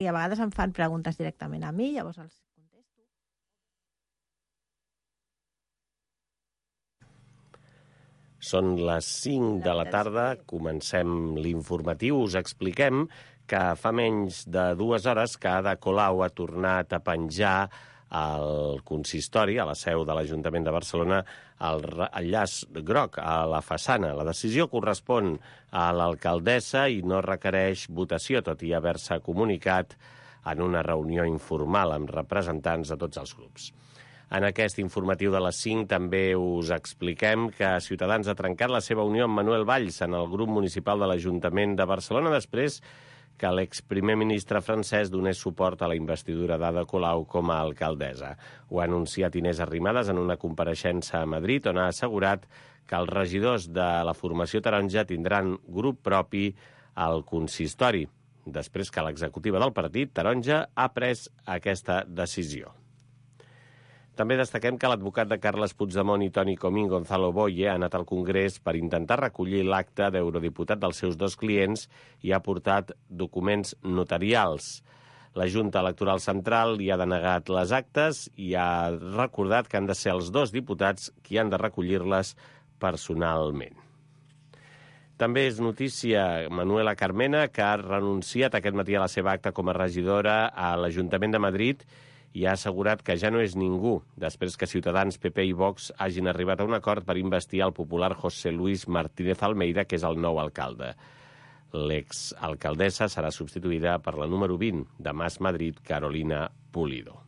I a vegades em fan preguntes directament a mi, llavors els contesto. Són les 5 de la tarda, comencem l'informatiu. Us expliquem que fa menys de 2 hores que Ada Colau ha tornat a penjar al consistori, a la seu de l'Ajuntament de Barcelona, el llaç groc a la façana. La decisió correspon a l'alcaldessa i no requereix votació, tot i haver-se comunicat en una reunió informal amb representants de tots els grups. En aquest informatiu de les 5 també us expliquem que Ciutadans ha trencat la seva unió amb Manuel Valls en el grup municipal de l'Ajuntament de Barcelona després que l'exprimer ministre francès donés suport a la investidura d'Ada Colau com a alcaldessa. Ho ha anunciat Inés Arrimadas en una compareixença a Madrid, on ha assegurat que els regidors de la formació taronja tindran grup propi al consistori, després que l'executiva del partit, taronja, ha pres aquesta decisió. També destaquem que l'advocat de Carles Puigdemont i Toni Comín, Gonzalo Boye, ha anat al Congrés per intentar recollir l'acta d'eurodiputat dels seus 2 clients i ha portat documents notarials. La Junta Electoral Central li ha denegat les actes i ha recordat que han de ser els 2 diputats qui han de recollir-les personalment. També és notícia Manuela Carmena, que ha renunciat aquest matí a la seva acta com a regidora a l'Ajuntament de Madrid i ha assegurat que ja no és ningú, després que Ciutadans, PP i Vox hagin arribat a un acord per investir el popular José Luis Martínez Almeida, que és el nou alcalde. L'exalcaldessa serà substituïda per la número 20 de Mas Madrid, Carolina Pulido.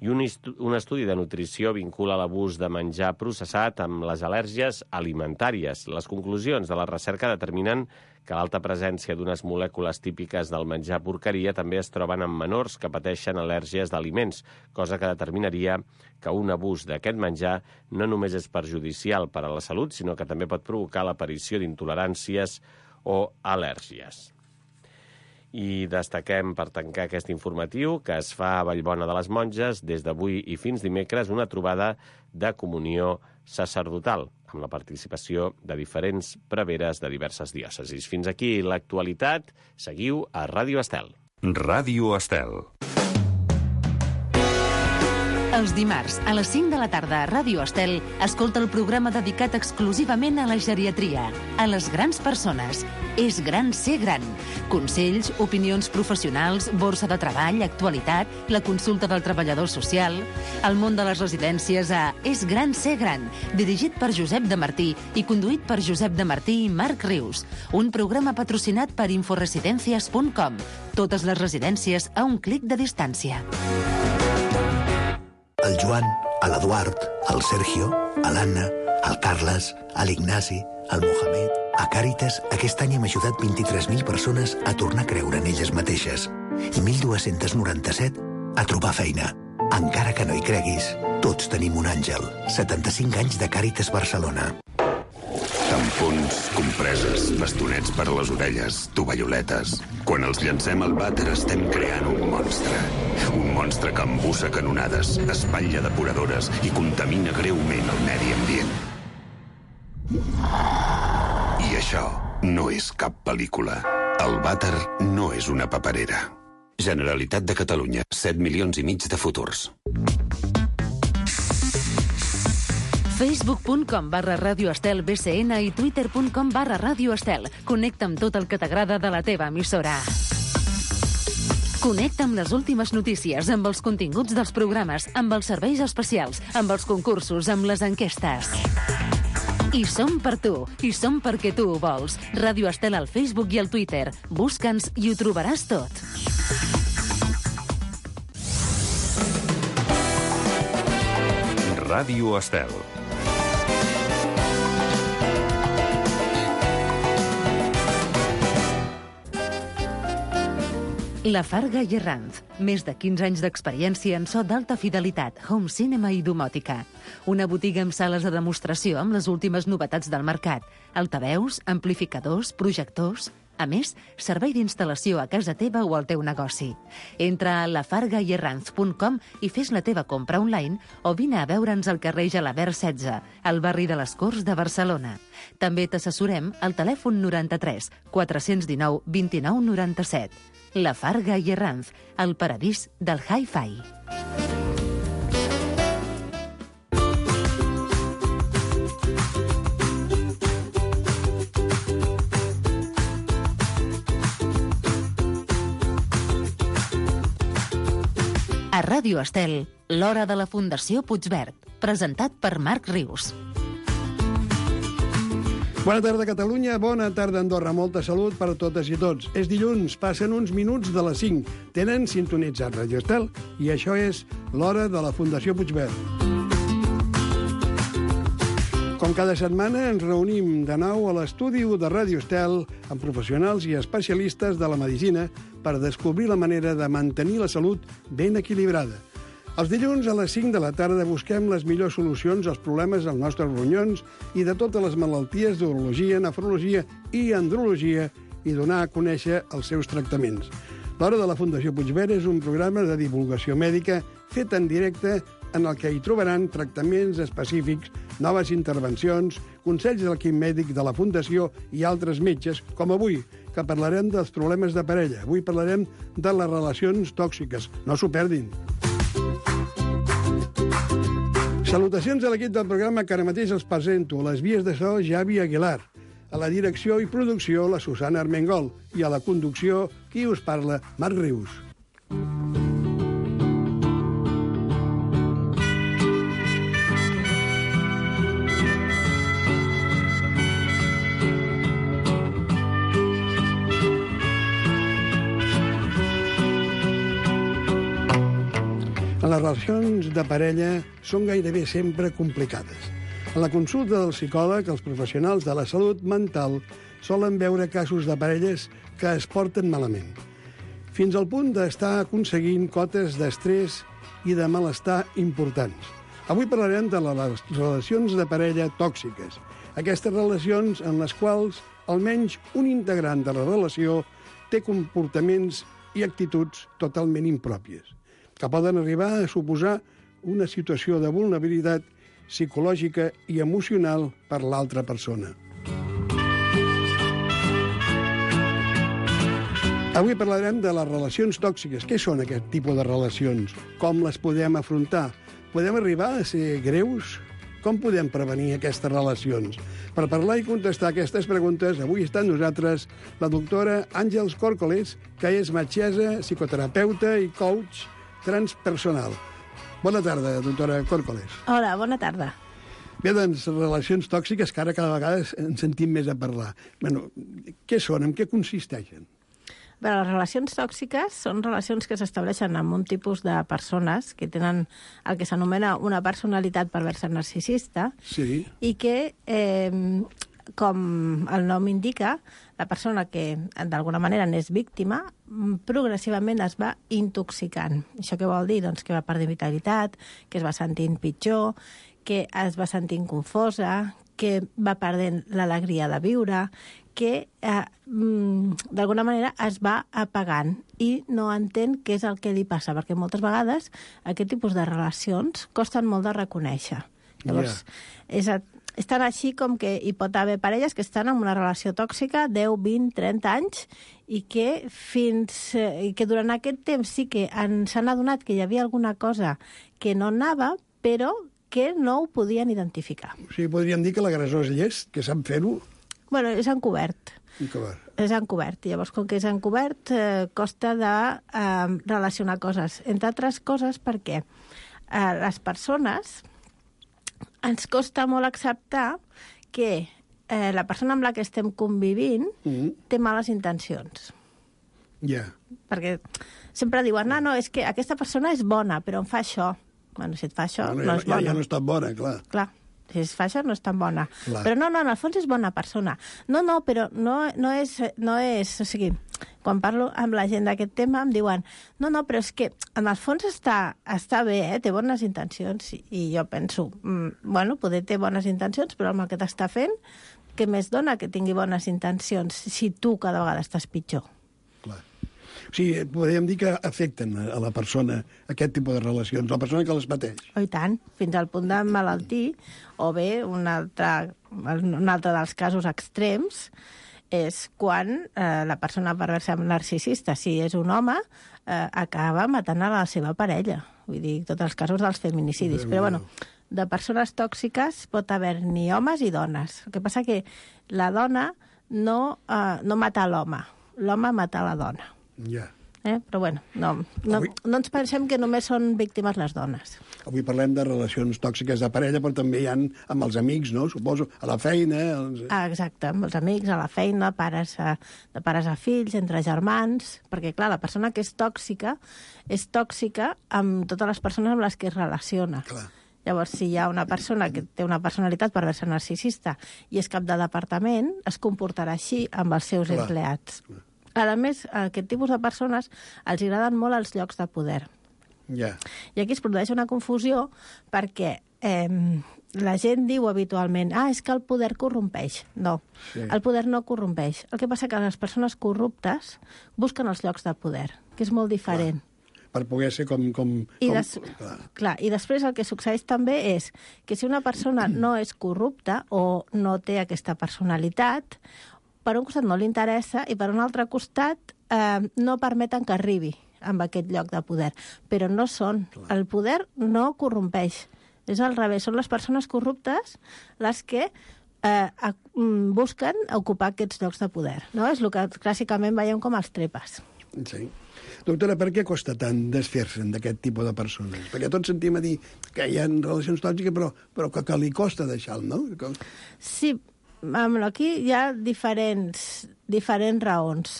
I un estudi de nutrició vincula l'abús de menjar processat amb les al·lèrgies alimentàries. Les conclusions de la recerca determinen que l'alta presència d'unes molècules típiques del menjar porqueria també es troben en menors que pateixen al·lèrgies d'aliments, cosa que determinaria que un abús d'aquest menjar no només és perjudicial per a la salut, sinó que també pot provocar l'aparició d'intoleràncies o al·lèrgies. I destaquem, per tancar aquest informatiu, que es fa a Vallbona de les Monges des d'avui i fins dimecres una trobada de comunió sacerdotal, amb la participació de diferents preveres de diverses diòcesis. Fins aquí l'actualitat. Seguiu a Ràdio Estel. Ràdio Estel. Els dimarts, a les 5 de la tarda a Ràdio Estel, escolta el programa dedicat exclusivament a la geriatria, a les grans persones. És gran ser gran. Consells, opinions professionals, borsa de treball, actualitat, la consulta del treballador social, el món de les residències a És gran ser gran, dirigit per Josep de Martí i conduït per Josep de Martí i Marc Rius. Un programa patrocinat per inforesidencias.com. Totes les residències a un clic de distància. El Joan, l'Eduard, el Sergio, l'Anna, el Carles, l'Ignasi, el Mohamed... A Càritas, aquest any hem ajudat 23.000 persones a tornar a creure en elles mateixes i 1.297 a trobar feina. Encara que no hi creguis, tots tenim un àngel. 75 anys de Càritas Barcelona. Tampons, compreses, bastonets per a les orelles, tovalloletes... Quan els llancem al vàter estem creant un monstre. Un monstre que embussa canonades, espatlla depuradores i contamina greument el medi ambient. I això no és cap pel·lícula. El vàter no és una paperera. Generalitat de Catalunya, 7,5 milions de futurs. Facebook.com/Ràdio Estel BCN i Twitter.com/Ràdio Estel. Connecta amb tot el que t'agrada de la teva emissora. Connecta amb les últimes notícies, amb els continguts dels programes, amb els serveis especials, amb els concursos, amb les enquestes. I som per tu, i som perquè tu ho vols. Ràdio Estel al Facebook i al Twitter. Busca'ns i ho trobaràs tot. Ràdio Estel. La Farga i Herranz. Més de 15 anys d'experiència en so d'alta fidelitat, home cinema i domòtica. Una botiga amb sales de demostració amb les últimes novetats del mercat. Altaveus, amplificadors, projectors... A més, servei d'instal·lació a casa teva o al teu negoci. Entra a lafargaierranz.com i fes la teva compra online o vine a veure'ns al carrer Gelabert 16, al barri de les Corts de Barcelona. També t'assessorem al telèfon 93 419 29 97. La Farga i Herranz, el paradís del hi-fi. A Ràdio Estel, l'hora de la Fundació Puigverd, presentat per Marc Rius. Bona tarda, Catalunya. Bona tarda, Andorra. Molta salut per a totes i tots. És dilluns, passen uns minuts de les 5. Tenen sintonitzat Ràdio Estel i això és l'hora de la Fundació Puigverd. Com cada setmana, ens reunim de nou a l'estudi de Ràdio Estel amb professionals i especialistes de la medicina per descobrir la manera de mantenir la salut ben equilibrada. Els dilluns a les 5 de la tarda busquem les millors solucions als problemes dels nostres ronyons i de totes les malalties d'urologia, nefrologia i andrologia i donar a conèixer els seus tractaments. L'Hora de la Fundació Puigverd és un programa de divulgació mèdica fet en directe en el que hi trobaran tractaments específics, noves intervencions, consells de l'equip mèdic de la Fundació i altres metges, com avui, que parlarem dels problemes de parella. Avui parlarem de les relacions tòxiques. No s'ho perdin. Salutacions a l'equip del programa que ara mateix els presento. A les vies de so, Javi Aguilar. A la direcció i producció, la Susana Armengol. I a la conducció, qui us parla, Marc Rius. Les relacions de parella són gairebé sempre complicades. A la consulta del psicòleg, els professionals de la salut mental solen veure casos de parelles que es porten malament, fins al punt d'estar aconseguint cotes d'estrès i de malestar importants. Avui parlarem de les relacions de parella tòxiques, aquestes relacions en les quals almenys un integrant de la relació té comportaments i actituds totalment impròpies, que poden arribar a suposar una situació de vulnerabilitat psicològica i emocional per l'altra persona. Avui parlarem de les relacions tòxiques. Què són aquest tipus de relacions? Com les podem afrontar? Podem arribar a ser greus? Com podem prevenir aquestes relacions? Per parlar i contestar aquestes preguntes, avui està amb nosaltres la doctora Àngels Córcoles, que és metgessa, psicoterapeuta i coach transpersonal. Bona tarda, doctora Córcoles. Hola, bona tarda. Bé, doncs, relacions tòxiques que ara cada vegada ens sentim més a parlar. Bueno, què són? En què consisteixen? Bé, les relacions tòxiques són relacions que s'estableixen amb un tipus de persones que tenen el que s'anomena una personalitat perversa narcisista. Sí. I que, com el nom indica, la persona que d'alguna manera n'és víctima progressivament es va intoxicant. Això què vol dir? Doncs que va perdent vitalitat, que es va sentint pitjor, que es va sentint confosa, que va perdent l'alegria de viure, que d'alguna manera es va apagant i no entén què és el que li passa, perquè moltes vegades aquest tipus de relacions costen molt de reconèixer. Llavors, és tan així com que hi pot haver parelles que estan en una relació tòxica 10, 20, 30 anys i que durant aquest temps sí que s'han adonat que hi havia alguna cosa que no anava, però que no ho podien identificar. O sigui, podríem dir que l'agressor és llest, que sap fer-ho? Bueno, és encobert. És encobert. Llavors, com que és encobert, costa de relacionar coses. Entre altres coses perquè les persones ens costa molt acceptar que la persona amb la que estem convivint té males intencions. Ja. Perquè sempre diuen, no, és que aquesta persona és bona, però em fa això. Bueno, si et fa això, no és bona. Ja no és tan bona, clar. Clar, si es fa això no és tan bona. Clar. Però no, en el fons és bona persona. No, però no és... O sigui, quan parlo amb la gent d'aquest tema em diuen no, però és que en el fons està bé, té bones intencions. I jo penso, bueno, poder té bones intencions, però amb el que t'està fent, què més dona que tingui bones intencions si tu cada vegada estàs pitjor? Clar. O sigui, podríem dir que afecten a la persona aquest tipus de relacions, la persona que les pateix. Oh, i tant, fins al punt de malaltir, o bé un altre dels casos extrems és quan la persona perversa narcisista, si és un home, acaba matant a la seva parella. Vull dir, tots els casos dels feminicidis. Però, bueno, de persones tòxiques pot haver-n'hi homes i dones. El que passa que la dona no mata l'home. L'home mata la dona. Ja. Però, bueno, no ens pensem que només són víctimes les dones. Avui parlem de relacions tòxiques de parella, però també hi ha amb els amics, no? Suposo, a la feina... Exacte, amb els amics, a la feina, de pares a fills, entre germans... Perquè, clar, la persona que és tòxica amb totes les persones amb les que es relaciona. Clar. Llavors, si hi ha una persona que té una personalitat perversa narcisista i és cap de departament, es comportarà així amb els seus empleats. A més, a aquest tipus de persones els agraden molt els llocs de poder. Ja. I aquí es produeix una confusió perquè la gent diu habitualment és que el poder corrompeix. No, el poder no corrompeix. El que passa que les persones corruptes busquen els llocs de poder, que és molt diferent. Per poder ser com... Clar, i després el que succeeix també és que si una persona no és corrupta o no té aquesta personalitat, per un costat no li interessa i per un altre costat no permeten que arribi amb aquest lloc de poder. Però no són. El poder no corrompeix. És al revés. Són les persones corruptes les que busquen ocupar aquests llocs de poder. No? És el que clàssicament veiem com els trepes. Sí. Doctora, per què costa tant desfer-se'n d'aquest tipus de persones? Perquè tots sentim a dir que hi ha relacions tòxiques, però que li costa deixar-lo, no? Sí, aquí hi ha diferents raons.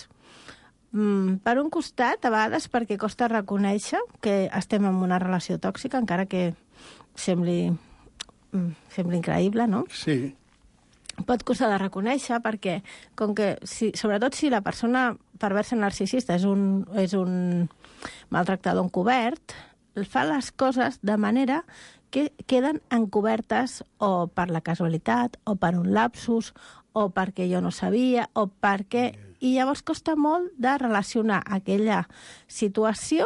Per un costat, a vegades perquè costa reconèixer que estem en una relació tòxica, encara que sembli increïble, no? Sí. Pot costar de reconèixer perquè, com que sobretot si la persona perversa narcisista és un maltractador encobert, fa les coses de manera que queden encobertes o per la casualitat, o per un lapsus, o perquè jo no sabia, o perquè... I llavors costa molt de relacionar aquella situació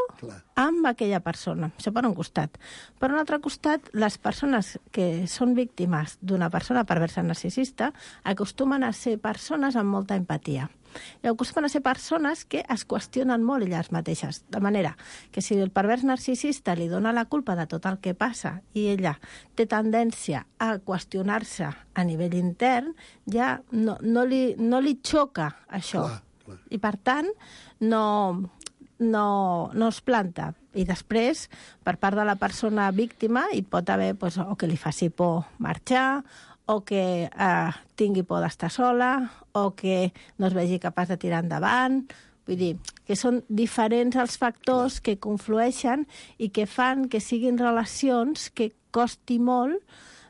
amb aquella persona. Això per un costat. Per un altre costat, les persones que són víctimes d'una persona perversa narcisista acostumen a ser persones amb molta empatia. I acostumen a ser persones que es qüestionen molt elles mateixes. De manera que si el pervers narcisista li dona la culpa de tot el que passa i ella té tendència a qüestionar-se a nivell intern, ja no li xoca això. Clar. I per tant, no es planta. I després, per part de la persona víctima, hi pot haver o que li faci por marxar, o que tingui por d'estar sola, o que no es vegi capaç de tirar endavant. Vull dir, que són diferents els factors que conflueixen i que fan que siguin relacions que costi molt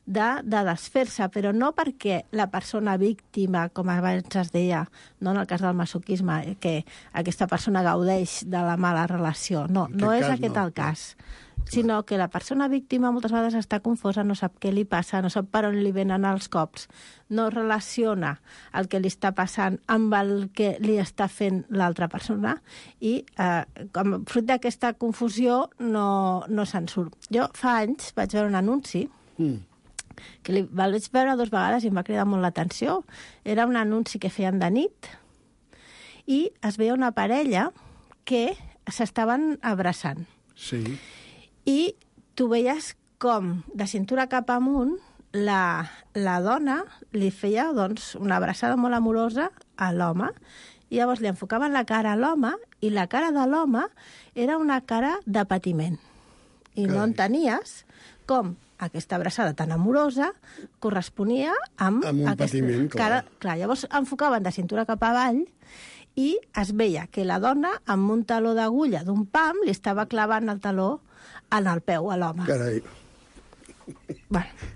de desfer-se, però no perquè la persona víctima, com abans es deia, no en el cas del masoquisme, que aquesta persona gaudeix de la mala relació. No és aquest el cas. Sinó que la persona víctima moltes vegades està confosa, no sap què li passa, no sap per on li venen els cops, no relaciona el que li està passant amb el que li està fent l'altra persona i com fruit d'aquesta confusió no se'n surt. Jo fa anys vaig veure un anunci que el vaig veure 2 vegades i em va cridar molt l'atenció. Era un anunci que feien de nit i es veia una parella que s'estaven abraçant. Sí. I tu veies com, de cintura cap amunt, la dona li feia una abraçada molt amorosa a l'home, i llavors li enfocaven la cara a l'home, i la cara de l'home era una cara de patiment. I no entenies com aquesta abraçada tan amorosa corresponia amb un patiment, clar. Clar, llavors enfocaven de cintura cap avall i es veia que la dona, amb un taló d'agulla d'un pam, li estava clavant el taló en el peu a l'home. Carai. Bueno,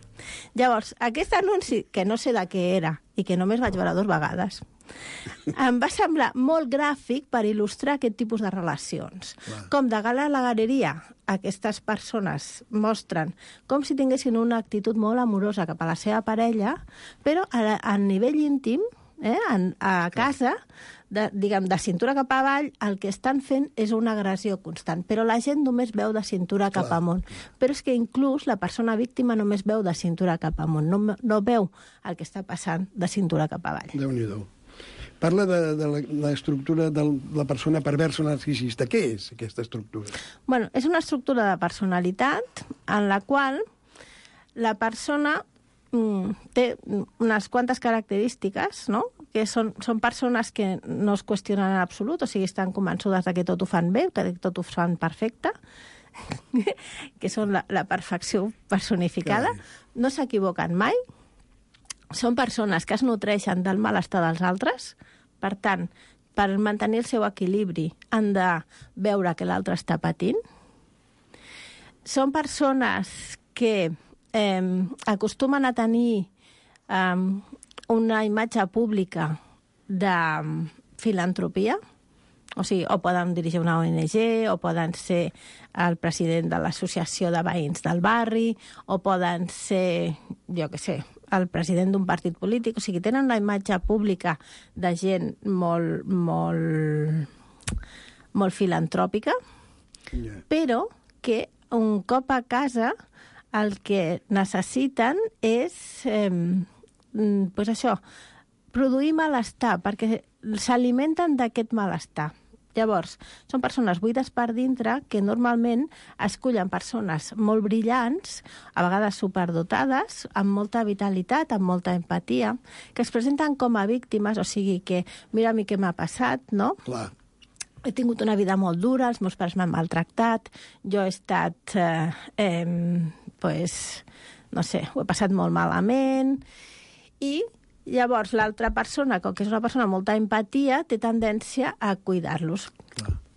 llavors, aquest anunci, que no sé de què era i que només vaig veure 2 vegades, em va semblar molt gràfic per il·lustrar aquest tipus de relacions. Clar. Com de gala a la galeria, aquestes persones mostren com si tinguessin una actitud molt amorosa cap a la seva parella, però a nivell íntim, a casa, de cintura cap avall, el que estan fent és una agressió constant. Però la gent només veu de cintura cap amunt. Però és que inclús la persona víctima només veu de cintura cap amunt. No veu el que està passant de cintura cap avall. Déu-n'hi-do. Parla de l'estructura de la persona perversa narcisista. Què és aquesta estructura? Bueno, és una estructura de personalitat en la qual la persona té unes quantes característiques, no? Que són persones que no es qüestionen en absolut, o sigui, estan convençudes de que tot ho fan bé, que tot ho fan perfecte, que són la perfecció personificada, no s'equivoquen mai, són persones que es nutreixen del malestar dels altres, per tant, per mantenir el seu equilibri han de veure que l'altre està patint. Són persones que acostumen a tenir una imatge pública de filantropia, o sigui, o poden dirigir una ONG, o poden ser el president de l'associació de veïns del barri, o poden ser, jo què sé, el president d'un partit polític. O sigui, tenen una imatge pública de gent molt filantròpica, però que un cop a casa el que necessiten és això, produir malestar, perquè s'alimenten d'aquest malestar. Llavors, són persones buides per dintre que normalment escullen persones molt brillants, a vegades superdotades, amb molta vitalitat, amb molta empatia, que es presenten com a víctimes, o sigui que mira a mi què m'ha passat, no? Clar. He tingut una vida molt dura, els meus pares m'han maltractat, jo he estat, no sé, ho he passat molt malament, i llavors l'altra persona, com que és una persona amb molta empatia, té tendència a cuidar-los.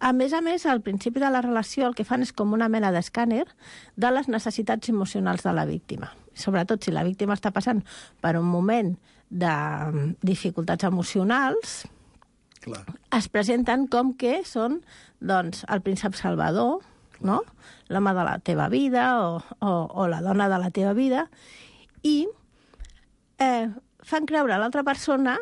A més, al principi de la relació el que fan és com una mena d'escàner de les necessitats emocionals de la víctima. Sobretot si la víctima està passant per un moment de dificultats emocionals, es presenten com que són, doncs, el príncep salvador, no? L'home de la teva vida o la dona de la teva vida, i fan creure a l'altra persona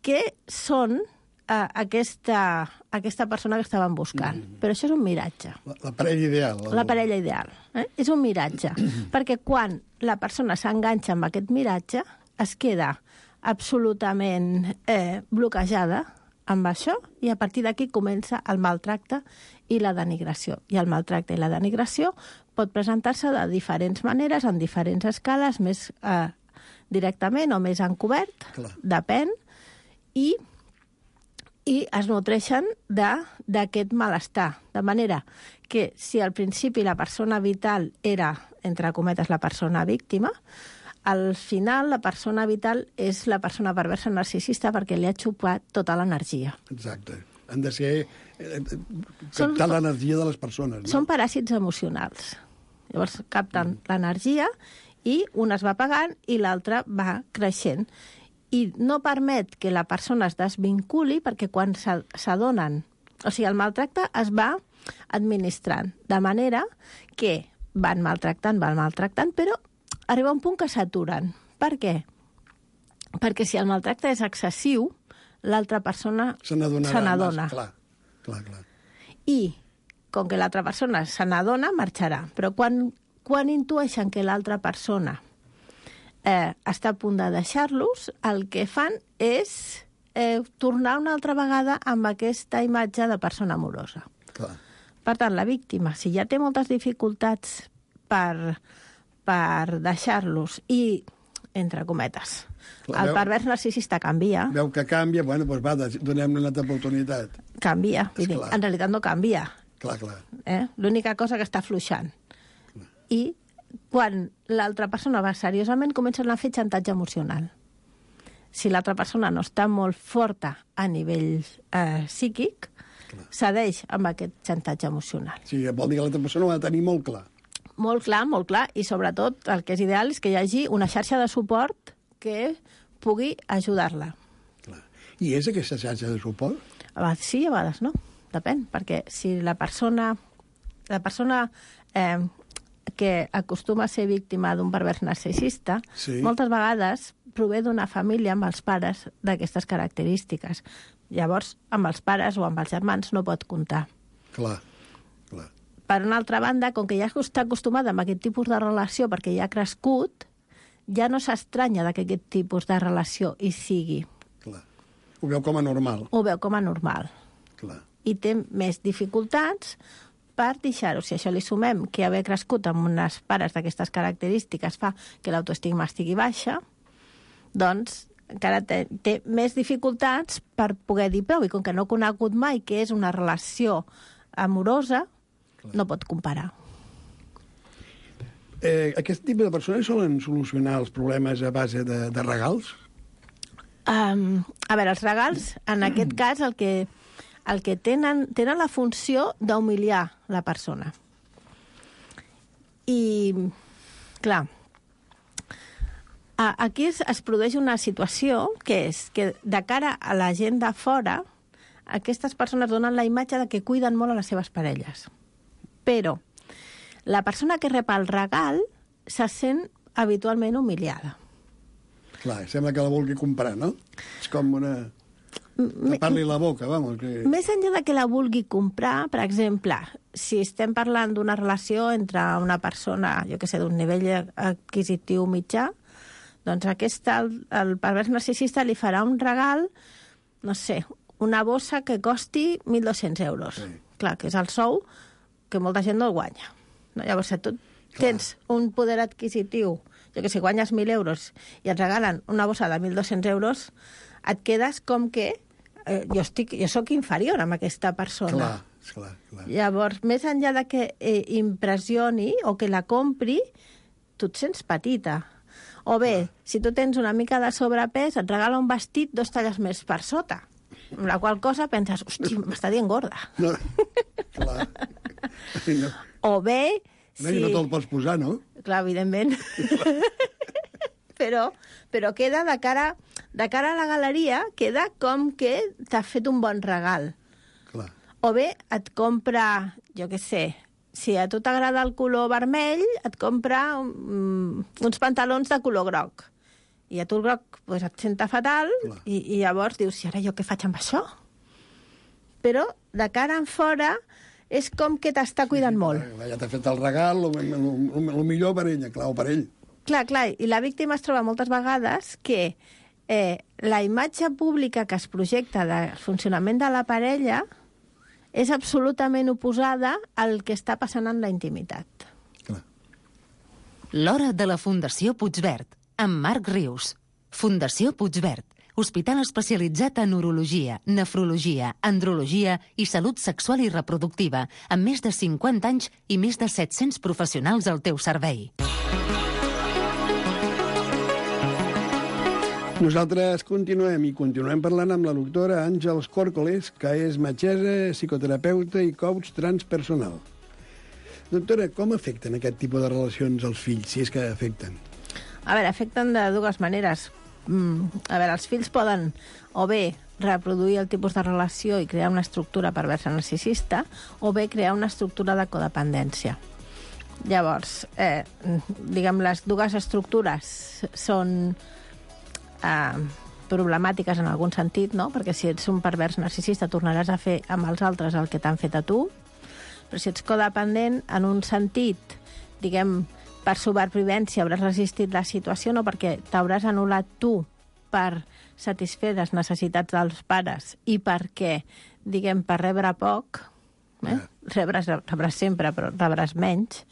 que són aquesta persona que estaven buscant. Però això és un miratge. La parella ideal. La parella ideal. És un miratge. Perquè quan la persona s'enganxa amb aquest miratge, es queda absolutament bloquejada amb això, i a partir d'aquí comença el maltracte i la denigració. I el maltracte i la denigració pot presentar-se de diferents maneres, en diferents escales, més directament o més encobert, depèn, i es nutreixen d'aquest malestar. De manera que si al principi la persona vital era, entre cometes, la persona víctima, al final la persona vital és la persona perversa narcisista perquè li ha xupat tota l'energia. Exacte. Han de ser captar l'energia de les persones. No? Són paràsits emocionals. Llavors capten l'energia i un es va apagant i l'altre va creixent. I no permet que la persona es desvinculi perquè quan s'adonen... O sigui, el maltracte es va administrant, de manera que van maltractant, però arriba un punt que s'aturen. Per què? Perquè si el maltracte és excessiu, l'altra persona se n'adona. Clar. I, com que l'altra persona se n'adona, marxarà. Però quan intueixen que l'altra persona està a punt de deixar-los, el que fan és tornar una altra vegada amb aquesta imatge de persona amorosa. Clar. Per tant, la víctima, si ja té moltes dificultats per deixar-los i, entre cometes, el pervers narcisista canvia. Veu que canvia, bueno, doncs va, donem-li una altra oportunitat. Canvia. En realitat no canvia. Clar. L'única cosa que està afluixant. I quan l'altra persona va seriosament, comencen a fer xantatge emocional. Si l'altra persona no està molt forta a nivell psíquic, cedeix amb aquest xantatge emocional. Sí, vol dir que l'altra persona ho ha de tenir molt clar. Molt clar, i sobretot el que és ideal és que hi hagi una xarxa de suport que pugui ajudar-la. I és aquesta xarxa de suport? A vegades sí, a vegades no. Depèn, perquè si la persona que acostuma a ser víctima d'un pervers narcisista, moltes vegades prové d'una família amb els pares d'aquestes característiques. Llavors, amb els pares o amb els germans no pot comptar. Clar. Per una altra banda, com que ja està acostumada amb aquest tipus de relació perquè ja ha crescut, ja no s'estranya que aquest tipus de relació hi sigui. Clar. Ho veu com a normal. Ho veu com a normal. Clar. I té més dificultats per deixar-ho. Si això li sumem que haver crescut amb unes pares d'aquestes característiques fa que l'autoestima estigui baixa, doncs encara té més dificultats per poder dir prou. I com que no ha conegut mai què és una relació amorosa, no pot comparar. Aquest tipus de persones solen solucionar els problemes a base de regals? A veure, els regals, en aquest cas, el que tenen la funció d'humiliar la persona. I, clar, aquí es produeix una situació que és que de cara a la gent de fora, aquestes persones donen la imatge de que cuiden molt a les seves parelles. Però la persona que rep el regal se sent habitualment humiliada. Clar, sembla que la vulgui comprar, no? És com una... tapar-li la boca, vamos. Que... Més enllà de que la vulgui comprar, per exemple, si estem parlant d'una relació entre una persona, jo que sé, d'un nivell adquisitiu mitjà, doncs el pervers narcisista li farà un regal, no sé, una bossa que costi 1.200 euros. Sí. Clar, que és el sou que molta gent no el guanya. No? Llavors, si tu tens un poder adquisitiu, jo que sé, guanyes 1.000 euros i et regalen una bossa de 1.200 euros, et quedes com que jo sóc inferior amb aquesta persona. Clar. Llavors, més enllà de que impressioni o que la compri, tu et sents petita. O bé, si tu tens una mica de sobrepès, et regala un vestit 2 talles més per sota. Amb la qual cosa penses, hosti, m'està dient gorda. No, clar. No. O bé... No, i no te'l pots posar, no? Clar, evidentment. però queda de cara a la galeria, queda com que t'ha fet un bon regal. Clar. O bé et compra, jo què sé, si a tu t'agrada el color vermell, et compra uns pantalons de color groc. I a tu el groc pues, et senta fatal i llavors dius, i ara jo què faig amb això? Però de cara en fora és com que t'està cuidant molt. Ja t'ha fet el regal, el millor per ella, clar, o per ell. Clar, i la víctima es troba moltes vegades que la imatge pública que es projecta del funcionament de la parella és absolutament oposada al que està passant en la intimitat. Clar. L'hora de la Fundació Puigverd, amb Marc Rius. Fundació Puigverd, hospital especialitzat en urologia, nefrologia, andrologia i salut sexual i reproductiva, amb més de 50 anys i més de 700 professionals al teu servei. Nosaltres continuem parlant amb la doctora Àngels Córcoles, que és metgessa, psicoterapeuta i coach transpersonal. Doctora, com afecten aquest tipus de relacions als fills, si és que afecten? A veure, afecten de dues maneres. A veure, els fills poden o bé reproduir el tipus de relació i crear una estructura perversa narcisista o bé crear una estructura de codependència. Llavors, diguem, les dues estructures són problemàtiques en algun sentit, no? Perquè si ets un pervers narcisista tornaràs a fer amb els altres el que t'han fet a tu, però si ets codependent, en un sentit, diguem, per supervivència hauràs resistit la situació, no, perquè t'hauràs anul·lat tu per satisfer les necessitats dels pares i perquè, diguem, per rebre poc, rebràs sempre, però rebràs menys.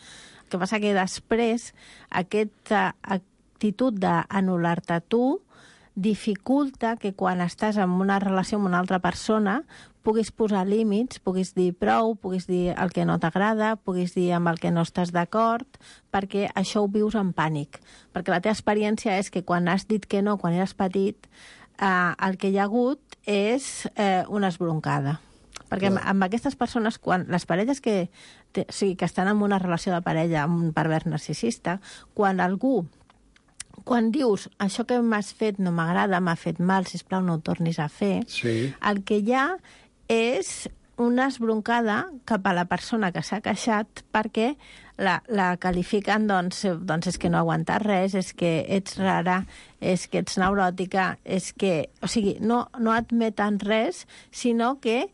El que passa que després aquesta actitud d'anul·lar-te tu dificulta que quan estàs en una relació amb una altra persona puguis posar límits, puguis dir prou, puguis dir el que no t'agrada, puguis dir amb el que no estàs d'acord, perquè això ho vius en pànic. Perquè la teva experiència és que quan has dit que no, quan eres petit, el que hi ha hagut és una esbroncada. Perquè amb aquestes persones, quan les parelles que estan en una relació de parella amb un pervers narcisista, quan dius, això que m'has fet no m'agrada, m'ha fet mal, sisplau, no ho tornis a fer, el que hi ha és una esbroncada cap a la persona que s'ha queixat perquè la qualifiquen, doncs és que no aguantes res, és que ets rara, és que ets neuròtica, és que... O sigui, no admeten res, sinó que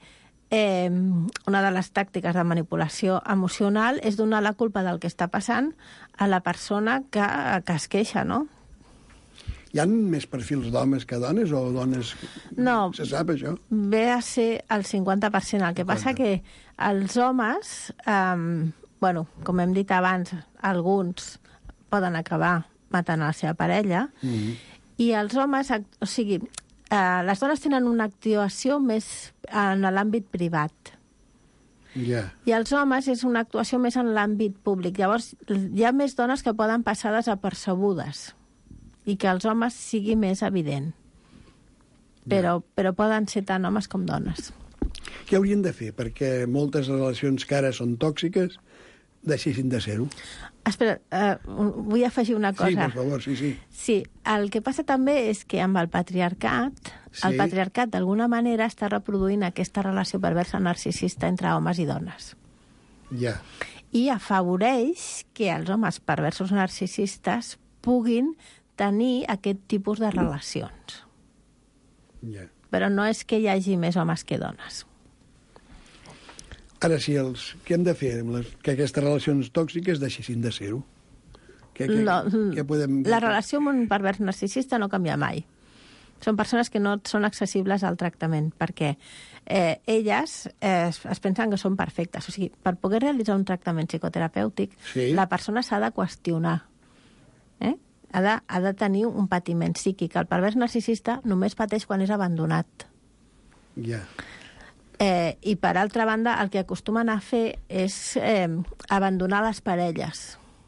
una de les tàctiques de manipulació emocional és donar la culpa del que està passant a la persona que es queixa, no? Hi ha més perfils d'homes que dones o dones... No. Se sap, això? Ve a ser el 50%. El que passa que els homes, com hem dit abans, alguns poden acabar matant a la seva parella, i els homes, o sigui, les dones tenen una actuació més en l'àmbit privat. Ja. I els homes és una actuació més en l'àmbit públic. Llavors, hi ha més dones que poden passar desapercebudes i que els homes sigui més evident. Però poden ser tant homes com dones. Què haurien de fer perquè moltes relacions que ara són tòxiques deixessin de ser-ho? Espera, vull afegir una cosa. Sí, per favor, sí. Sí, el que passa també és que amb el patriarcat, el patriarcat d'alguna manera està reproduint aquesta relació perversa narcisista entre homes i dones. Ja. I afavoreix que els homes perversos narcisistes puguin tenir aquest tipus de relacions. Ja. Però no és que hi hagi més homes que dones. Ara, què hem de fer que aquestes relacions tòxiques deixessin de ser-ho? Què podem... La relació amb un pervers narcisista no canvia mai. Són persones que no són accessibles al tractament, perquè elles es pensen que són perfectes. O sigui, per poder realitzar un tractament psicoterapèutic, la persona s'ha de qüestionar. Ha de tenir un patiment psíquic. El pervers narcisista només pateix quan és abandonat. Ja. I, per altra banda, el que acostumen a fer és abandonar les parelles.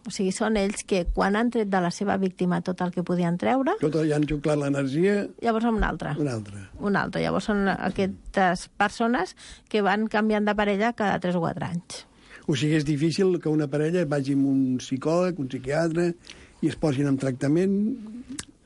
O sigui, són ells que, quan han tret de la seva víctima tot el que podien treure... Ja han xuclat l'energia... Llavors una altra. Una altra. Llavors són aquestes persones que van canviant de parella cada 3 o 4 anys. O sigui, és difícil que una parella vagi amb un psicòleg, un psiquiatre, i es posin en tractament...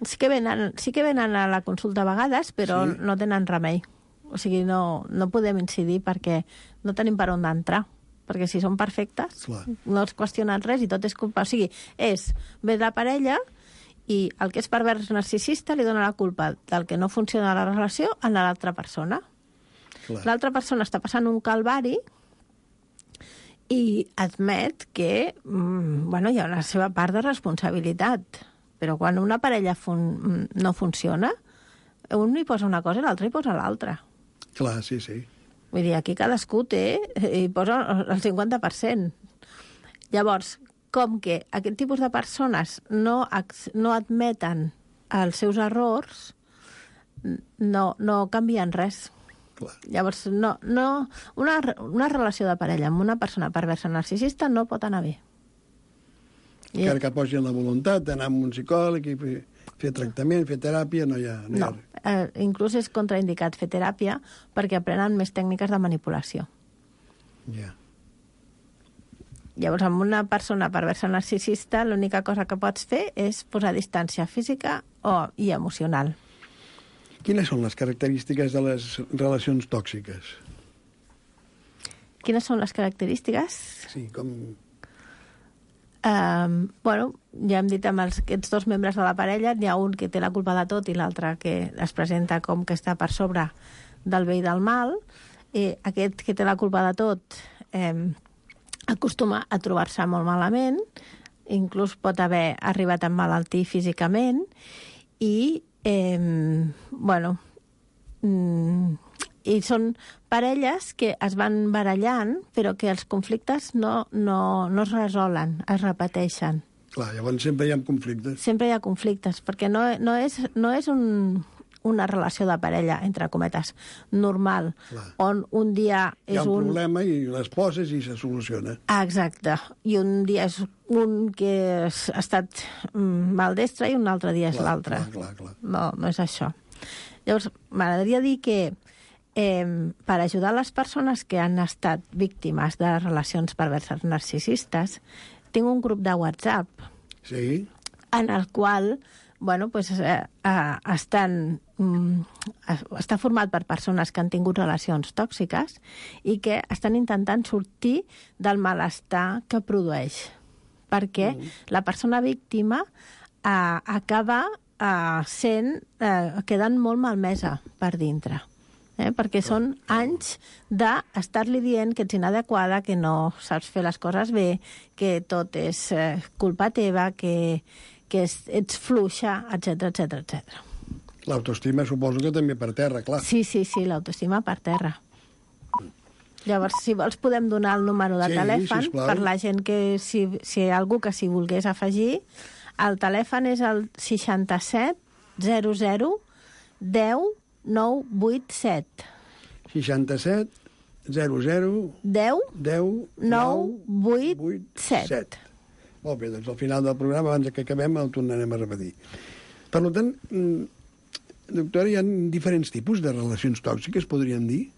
Sí que venen a la consulta a vegades, però no tenen remei. O sigui, no podem incidir perquè no tenim per on d'entrar. Perquè si són perfectes, no es qüestionen res i tot és culpa. O sigui, ve de la parella i el que és pervers narcisista li dona la culpa del que no funciona la relació a l'altra persona. L'altra persona està passant un calvari i admet que hi ha una seva part de responsabilitat. Però quan una parella no funciona, un hi posa una cosa i l'altre hi posa l'altra. Clar, sí. Vull dir, aquí cadascú hi posa el 50%. Llavors, com que aquest tipus de persones no admeten els seus errors, no canvien res. Clar. Llavors, una relació de parella amb una persona perversa narcisista no pot anar bé. Encara que posin la voluntat d'anar amb un psicòleg i fer tractament, fer teràpia, no hi ha res. Inclús és contraindicat fer teràpia perquè aprenen més tècniques de manipulació. Ja. Llavors, amb una persona perversa narcisista, l'única cosa que pots fer és posar distància física i emocional. Quines són les característiques de les relacions tòxiques? Quines són les característiques? Sí, com... ja hem dit amb aquests 2 membres de la parella, n'hi ha un que té la culpa de tot i l'altre que es presenta com que està per sobre del bé i del mal. Aquest que té la culpa de tot acostuma a trobar-se molt malament, inclús pot haver arribat a emmalaltir físicament i i són parelles que es van barallant, però que els conflictes no es resolen, es repeteixen. Clar, llavors sempre hi ha conflictes. Sempre hi ha conflictes, perquè no és una relació de parella, entre cometes, normal, on un dia és hi ha un problema i les poses i se soluciona. Exacte. I un dia és un que ha estat maldestre i un altre dia és l'altre. Clar. No és això. Llavors, m'agradaria dir que per ajudar les persones que han estat víctimes de relacions perverses narcisistes, tinc un grup de WhatsApp en el qual està format per persones que han tingut relacions tòxiques i que estan intentant sortir del malestar que produeix. Perquè la persona víctima acaba quedant molt malmesa per dintre. Perquè són anys d'estar-li dient que ets inadequada, que no saps fer les coses bé, que tot és culpa teva, que que ets fluixa, etc. L'autoestima suposo que també per terra, clar. Sí, l'autoestima per terra. Llavors, si vols, podem donar el número de telèfon per la gent que, si hi ha algú que s'hi volgués afegir. El telèfon és el 67 00 10 987. 67 00 10 10 987. Molt bé, doncs al final del programa, abans que acabem, el tornarem a repetir. Per tant, doctora, hi ha diferents tipus de relacions tòxiques, podríem dir?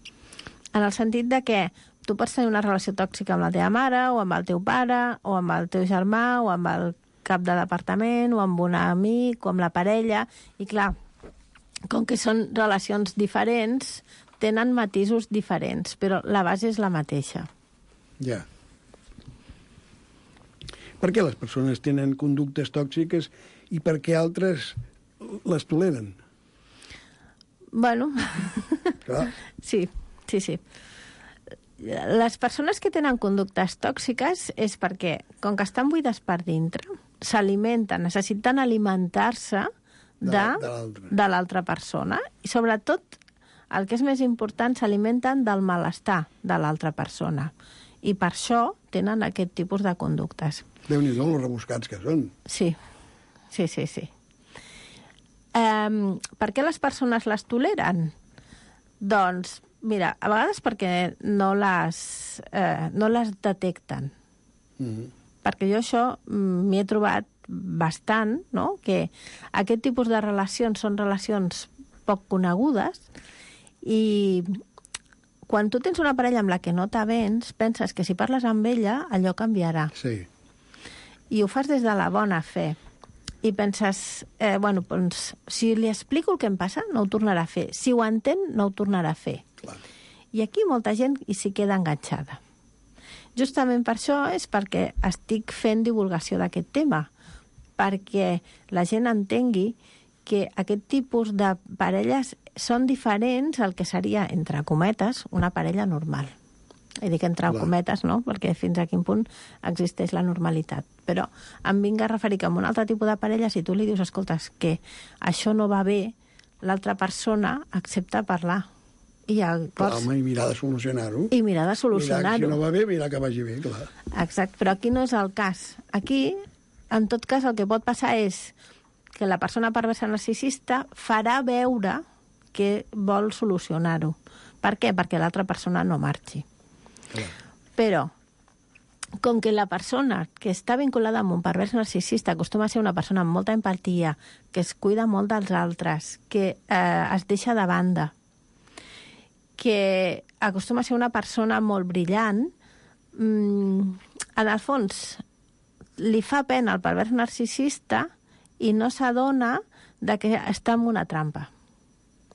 En el sentit de que tu pots tenir una relació tòxica amb la teva mare, o amb el teu pare, o amb el teu germà, o amb el cap de departament, o amb un amic, o amb la parella, i clar, com que són relacions diferents, tenen matisos diferents, però la base és la mateixa. Ja. Per què les persones tenen conductes tòxiques i per què altres les toleren? Bueno, Clar. sí. Les persones que tenen conductes tòxiques és perquè, com que estan buides per dintre, s'alimenten, necessiten alimentar-se de l'altra persona. I sobretot, el que és més important, s'alimenten del malestar de l'altra persona. I per això tenen aquest tipus de conductes. Déu-n'hi-do, els rebuscats que són. Sí. Per què les persones les toleren? Doncs, mira, a vegades perquè no les detecten. Perquè jo això m'hi he trobat bastant, no? Que aquest tipus de relacions són relacions poc conegudes i quan tu tens una parella amb la que no t'avens, penses que si parles amb ella, allò canviarà. Sí. I ho fas des de la bona fe. I penses, doncs, si li explico el que em passa, no ho tornarà a fer. Si ho entén, no ho tornarà a fer. Clar. I aquí molta gent hi s'hi queda enganxada. Justament per això és perquè estic fent divulgació d'aquest tema, perquè la gent entengui que aquest tipus de parelles són diferents al que seria, entre cometes, una parella normal. I dic entre cometes, no?, perquè fins a quin punt existeix la normalitat. Però em vinc a referir que amb un altre tipus de parella, si tu li dius, escolta, que això no va bé, l'altra persona accepta parlar. I Home, i mirar de solucionar-ho. Mirar, si no va bé, mirar que vagi bé, clar. Exacte, però aquí no és el cas. Aquí, en tot cas, el que pot passar és que la persona perversa narcisista farà veure que vol solucionar-ho. Per què? Perquè l'altra persona no marxi. Clar. Però, com que la persona que està vinculada amb un pervers narcisista acostuma a ser una persona amb molta empatia, que es cuida molt dels altres, que es deixa de banda, que acostuma a ser una persona molt brillant, en el fons li fa pena al pervers narcisista i no s'adona de que està en una trampa.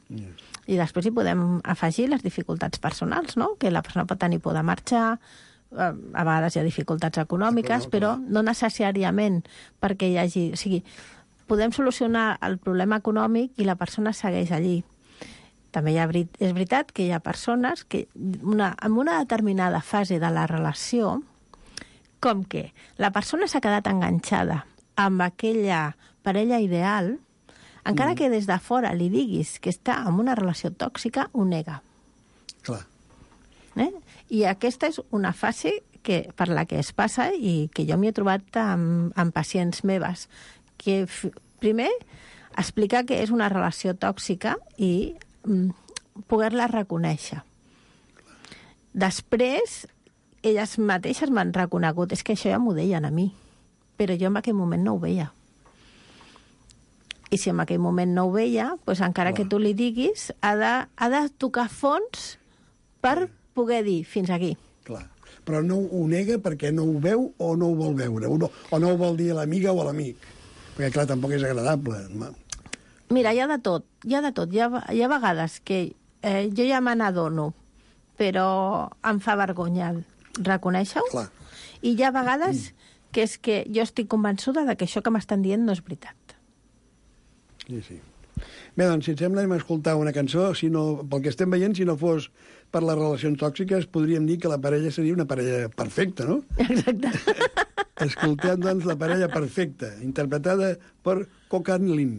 Yes. I després hi podem afegir les dificultats personals, no? Que la persona pot tenir por de marxar, a vegades hi ha dificultats econòmiques, però no necessàriament perquè hi hagi... O sigui, podem solucionar el problema econòmic i la persona segueix allí. També és veritat que hi ha persones que en una determinada fase de la relació, com que la persona s'ha quedat enganxada amb aquella parella ideal, encara que des de fora li diguis que està en una relació tòxica, ho nega. Clar. I aquesta és una fase per la que es passa i que jo m'hi he trobat amb pacients meves, que primer explicar que és una relació tòxica i poder-la reconèixer. Després, elles mateixes m'han reconegut, és que això ja m'ho deien a mi, però jo en aquell moment no ho veia. I si en aquell moment no ho veia, doncs encara que tu li diguis, ha de tocar fons per poder dir fins aquí. Clar. Però no ho nega perquè no ho veu o no ho vol veure, o no ho vol dir a l'amiga o a l'amic. Perquè, clar, tampoc és agradable. Mira, hi ha de tot. Hi ha vegades que jo ja me n'adono, però em fa vergonya reconèixer-ho. Clar. I hi ha vegades que és que jo estic convençuda de que això que m'estan dient no és veritat. Sí. Bé, doncs, si et sembla, hem escoltat una cançó. Pel que estem veient, si no fos per les relacions tòxiques, podríem dir que la parella seria una parella perfecta, no? Exacte. Escoltem, doncs, La parella perfecta, interpretada per Kokan Lin.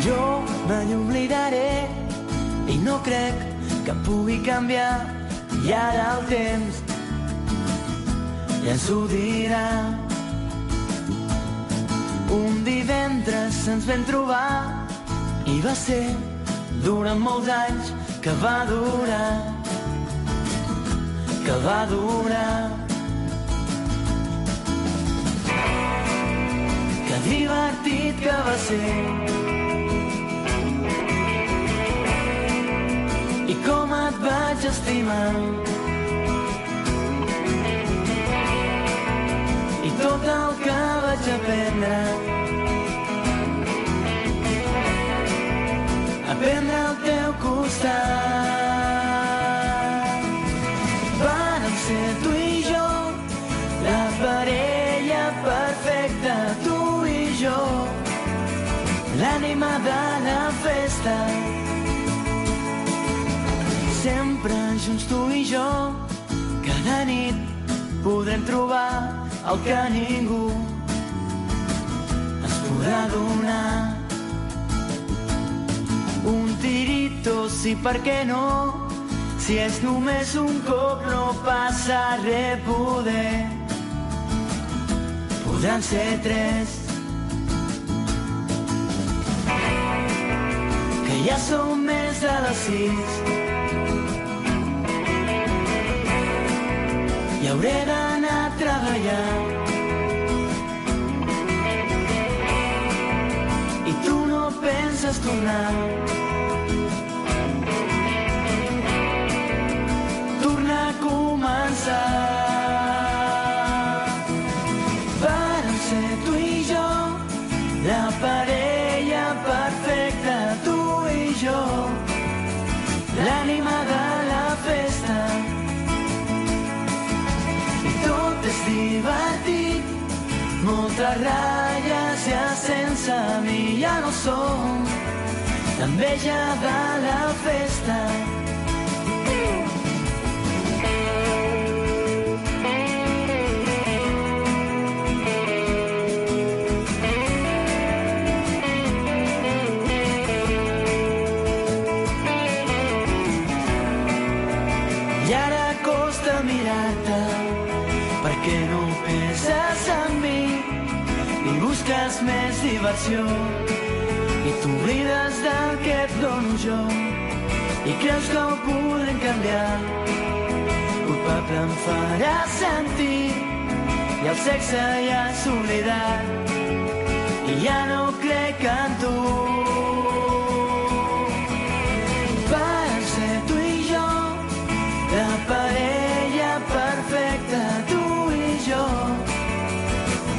Jo mai oblidaré i no crec que pugui canviar i ara el temps ja ens ho dirà. Un divendres ens vam trobar i va ser durant molts anys que va durar, que va durar. Que divertit que va ser i com et vaig estimar. I tot el que vaig aprendre al teu costat. Vàrem ser tu i jo, la parella perfecta, tu i jo, l'ànima de la festa. Sempre junts tu i jo, cada nit podrem trobar el que ningú ens podrà donar. Un tirito, sí, per què no? Si és només un cop no passa res, podran ser 3. Que ja som més de les 6 i hauré d'anar a treballar. I tu no penses tornar. Tornar a començar. Vàrem ser tu i jo, la parella perfecta, tu i jo, l'ànima de la festa. És divertit, moltes ratlles ja sense mi ja no som, l'enveja de la festa. I ara costa mirar-te perquè no penses en mi i busques més diversió i t'oblides del que et dono jo i creus que ho podrem canviar. Culpable em farà sentir i el sexe ja s'ha oblidat i ja no crec en tu. Per ser tu i jo, la parella perfecta, tu jo,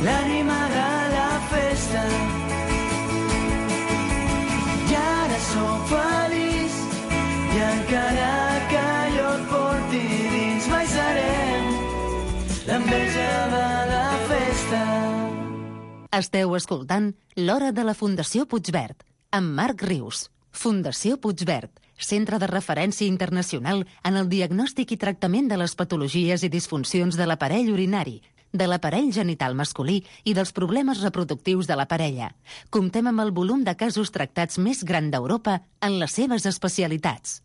l'ànima de la festa. I ara sóc feliç i encara que jo et porti dins mai serem l'enveja de la festa. Esteu escoltant L'Hora de la Fundació Puigverd, amb Marc Rius. Fundació Puigverd, centre de referència internacional en el diagnòstic i tractament de les patologies i disfuncions de l'aparell urinari, de l'aparell genital masculí i dels problemes reproductius de la parella. Comptem amb el volum de casos tractats més gran d'Europa en les seves especialitats.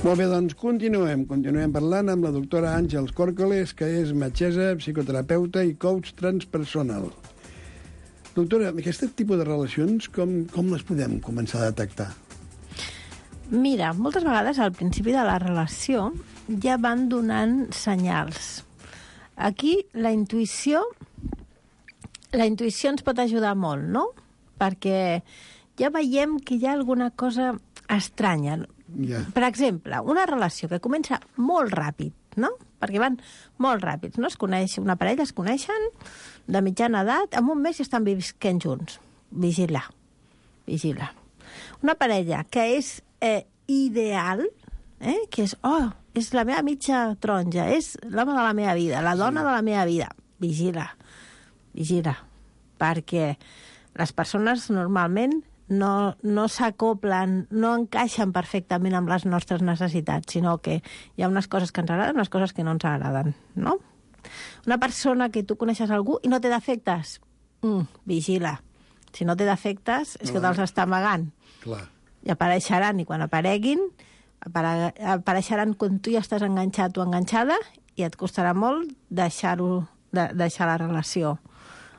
Molt bé, doncs continuem parlant amb la doctora Àngels Córcoles, que és metgessa, psicoterapeuta i coach transpersonal. Doctora, aquest tipus de relacions, com les podem començar a detectar? Mira, moltes vegades al principi de la relació ja van donant senyals. Aquí la intuïció ens pot ajudar molt, no? Perquè ja veiem que hi ha alguna cosa estranya. Yeah. Per exemple, una relació que comença molt ràpid, no? Perquè van molt ràpids, no? Una parella es coneixen de mitjana edat, en un mes ja estan visquent junts. Vigila. Una parella que és ideal, que és, és la meva mitja taronja, és l'home de la meva vida, la dona de la meva vida. Vigila, perquè les persones normalment no s'acoplen, no encaixen perfectament amb les nostres necessitats, sinó que hi ha unes coses que ens agraden i unes coses que no ens agraden, no? Una persona que tu coneixes algú i no té defectes, vigila. Si no té defectes, és que te'ls està amagant. Clar. I apareixeran, i quan apareguin, apareixeran quan tu ja estàs enganxat o enganxada i et costarà molt deixar la relació.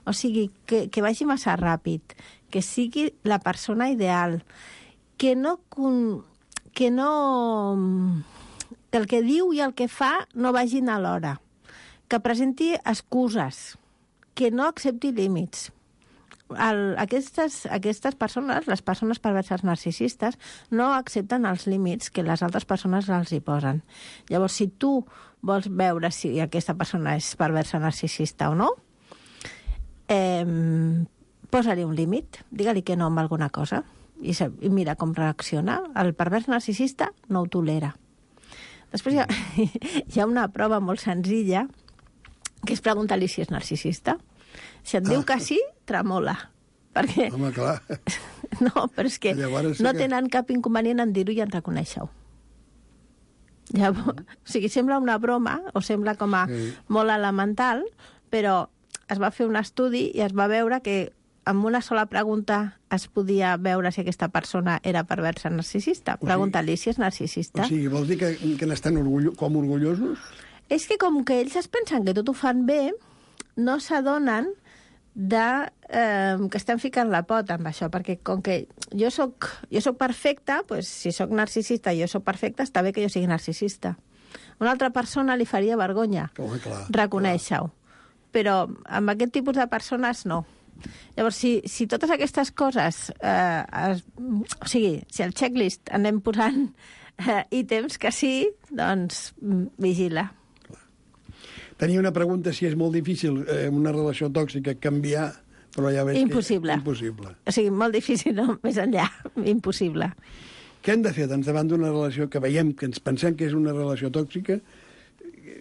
O sigui, que vagi massa ràpid, que sigui la persona ideal, que el que diu i el que fa no vagin alhora, que presenti excuses, que no accepti límits. Aquestes persones, les persones perverses narcisistes, no accepten els límits que les altres persones els hi posen. Llavors, si tu vols veure si aquesta persona és perversa narcisista o no, posa-li un límit, digue-li que no amb alguna cosa i mira com reacciona. El pervers narcisista no ho tolera. Després hi ha una prova molt senzilla que és preguntar-li si és narcisista. Si et diu que sí, tremola. Perquè... Home, clar. No, però és que no tenen cap inconvenient en dir-ho i en reconèixer-ho. Llavors, o sigui, sembla una broma o sembla com a molt elemental, però es va fer un estudi i es va veure que amb una sola pregunta es podia veure si aquesta persona era perversa narcisista. Pregunta-li si és narcisista. O sigui, vols dir que n'estan com orgullosos? És que com que ells es pensen que tot ho fan bé, no s'adonen que estan ficant la pota amb això, perquè com que jo soc perfecta, doncs, si soc narcisista i jo soc perfecta, està bé que jo sigui narcisista. Una altra persona li faria vergonya reconèixer-ho. Però amb aquest tipus de persones no. Llavors, si totes aquestes coses... o sigui, si al checklist anem posant ítems que sí, doncs vigila. Tenia una pregunta si és molt difícil una relació tòxica canviar, però ja veig impossible. Que és impossible. O sigui, molt difícil, no? Més enllà, impossible. Què hem de fer doncs, davant d'una relació que veiem, que ens pensem que és una relació tòxica,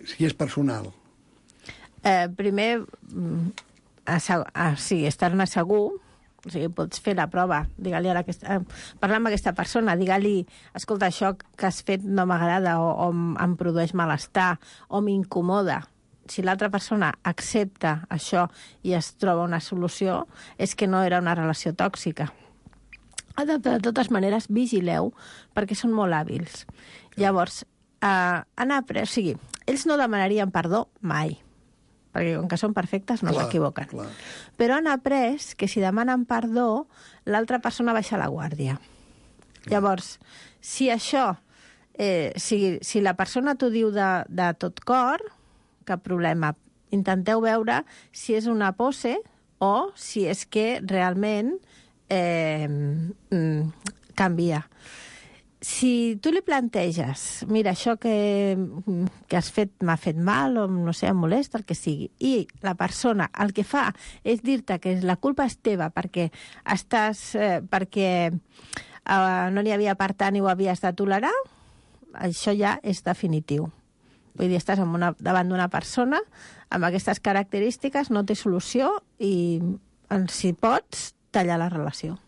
si és personal? Primer, estar-ne segur, o sigui, pots fer la prova, digue-li parlar amb aquesta persona, digue-li, escolta, això que has fet no m'agrada o em produeix malestar o m'incomoda. Si l'altra persona accepta això i es troba una solució, és que no era una relació tòxica. De totes maneres, vigileu, perquè són molt hàbils. Llavors, o sigui, ells no demanarien perdó mai, perquè com que són perfectes no s'equivoquen. Però han après que si demanen perdó, l'altra persona baixa la guàrdia. Llavors, si això, si la persona t'ho diu de tot cor, cap problema. Intenteu veure si és una pose o si és que realment canvia. Si tu li planteges, mira, això que has fet m'ha fet mal, o no sé, em molesta, el que sigui, i la persona el que fa és dir-te que la culpa és teva perquè no n'hi havia per tant i ho havies de tolerar, això ja és definitiu. Vull dir, estàs davant d'una persona amb aquestes característiques, no té solució i, si pots, tallar la relació.